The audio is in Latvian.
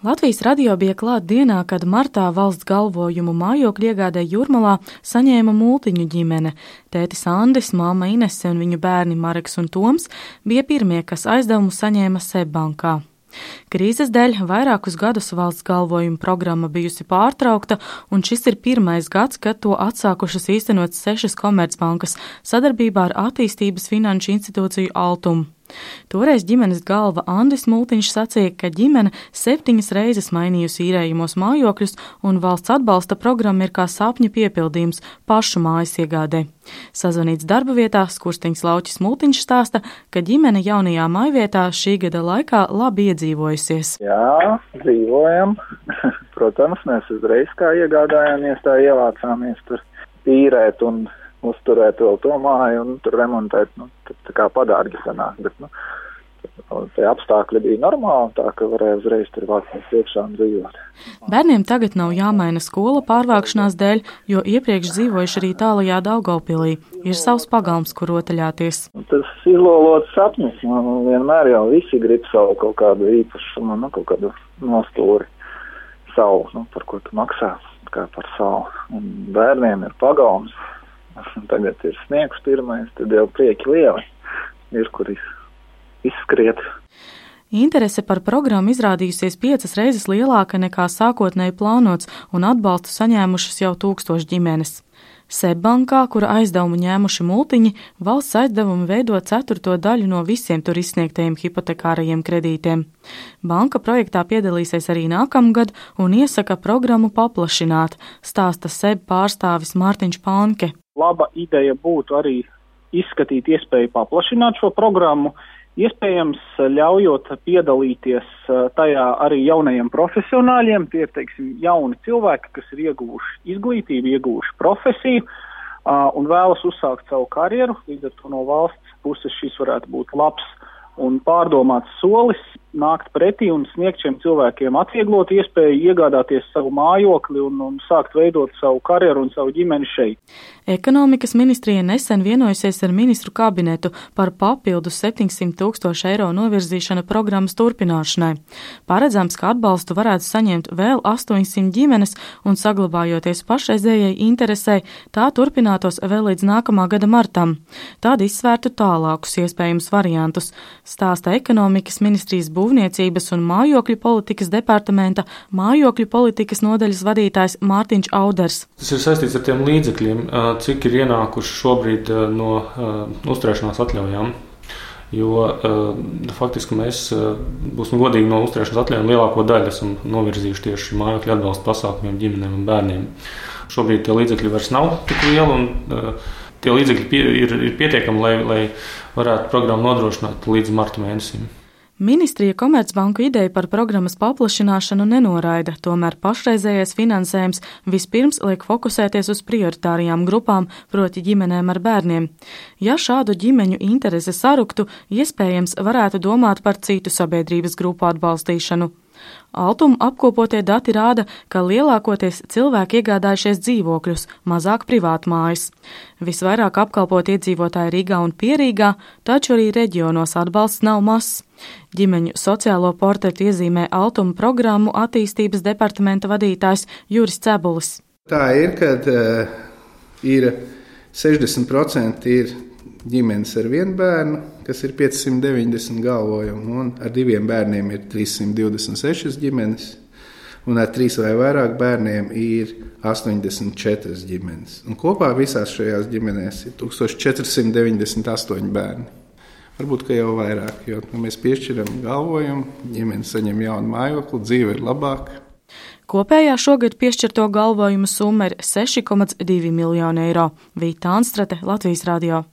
Latvijas radio bija klāt dienā, kad martā valsts galvojumu mājokļu iegādē Jūrmalā saņēma Multiņu ģimene. Tētis Andris, māma Inese un viņu bērni Mareks un Toms bija pirmie, kas aizdevumu saņēma SEB bankā. Krīzes dēļ vairākus gadus valsts galvojuma programma bijusi pārtraukta, un šis ir pirmais gads, kad to atsākušas īstenot 6 komercbankas sadarbībā ar attīstības finanšu institūciju Altum. Toreiz ģimenes galva Andris Multiņš sacīja, ka ģimene 7 reizes mainījusi īrējumos mājokļus, un valsts atbalsta programma ir kā sapņa piepildījums pašu mājas iegādē. Sazvanīts darba vietā Skurstiņas Lauķis Multiņš stāsta, ka ģimene jaunajā mājvietā šī gada laikā labi iedzīvojusies. Jā, dzīvojam. Protams, mēs uzreiz kā iegādājāmies, tā ievācāmies tur īrēt un uzturēt vēl to māju un tur remontēt, tā kā padārgi sanāk, bet, tie apstākļi bija normāli, tā ka varēja uzreiz tur vākties iekšā un dzīvot. Bērniem tagad nav jāmaina skola pārvākšanās dēļ, jo iepriekš dzīvojuši arī tālajā Daugavpilī. Ir savs pagalms, kur rotaļāties. Tas izlolots sapnis, vienmēr jau visi grib savu kaut kādu īpašumu, kaut kādu nostūri savu, par ko tu maksā, kā par savu. Un bērniem ir pagalms. Tagad ir sniegs pirmais, tad jau prieki lieli ir, kur izskriet. Interese par programmu izrādījusies 5 reizes lielāka nekā sākotnēji plānots, un atbalstu saņēmušas jau 1000 ģimenes. SEB bankā, kura aizdevumu ņēmuši Multiņi, valsts aizdevumi veido 4. daļu no visiem tur izsniegtajiem hipotekārajiem kredītiem. Banka projektā piedalīsies arī nākamgad un iesaka programmu paplašināt, stāsta SEB pārstāvis Mārtiņš Panke. Laba ideja būtu arī izskatīt iespēju paplašināt šo programmu, iespējams ļaujot piedalīties tajā arī jaunajiem profesionāļiem, tie ir, jauni cilvēki, kas ir ieguvuši izglītību, ieguvuši profesiju un vēlas uzsākt savu karjeru, līdz ar to no valsts puses šis varētu būt labs un pārdomāts solis, nākt pretī un sniegt šiem cilvēkiem atvieglot iespēju iegādāties savu mājokli un sākt veidot savu karjeru un savu ģimeni šeit. Ekonomikas ministrija nesen vienojusies ar ministru kabinetu par papildu 700 000 eiro novirzīšanu programmas turpināšanai. Paredzams, ka atbalstu varētu saņemt vēl 800 ģimenes un saglabājoties pašreizējai interesei, tā turpinātos vēl līdz nākamā gada martam. Tādi izsvērtu tālākus iespējamus variantus, stāsta ekonomikas ministrijas būvniecības un mājokļu politikas departamenta mājokļu politikas nodaļas vadītājs Mārtiņš Auders. Tas ir saistīts ar tiem līdzekļiem, cik ir ienākuši šobrīd no uzturēšanās atļaujām. Jo faktiski mēs, būsim godīgi, no uzturēšanās atļaujām lielāko daļu esam novirzījuši tieši mājokļu atbalsta pasākumiem ģimenēm un bērniem. Šobrīd tie līdzekļi vairs nav tik lieli un tie līdzekļi ir pietiekami, lai varētu programmu nodrošināt līdz marta mēnesim. Ministrija Komercbanku ideju par programmas paplašināšanu nenoraida, tomēr pašreizējais finansējums vispirms liek fokusēties uz prioritārajām grupām, proti ģimenēm ar bērniem. Ja šādu ģimeņu interese saruktu, iespējams varētu domāt par citu sabiedrības grupu atbalstīšanu. Altuma apkopotie dati rāda, ka lielākoties cilvēki iegādājušies dzīvokļus, mazāk privātmājas. Visvairāk apkalpot iedzīvotāji Rīgā un Pierīgā, taču arī reģionos atbalsts nav mazs. Ģimeņu sociālo portretu iezīmē Altuma programmu attīstības departamenta vadītājs Juris Cebulis. Tā ir, kad ir 60% ir ģimenes ar 1 bērnu, kas ir 590 galvojumi, un ar 2 bērniem ir 326 ģimenes, un ar 3 vai vairāk bērniem ir 84 ģimenes. Un kopā visās šajās ģimenēs ir 1498 bērni. Varbūt, ka jau vairāk, jo mēs piešķiram galvojumu, ģimene saņem jaunu mājokli, dzīve ir labāka. Kopējā šogad piešķirto galvojumu summa ir 6,2 miljoni eiro. Vīta Anstrate, Latvijas radio.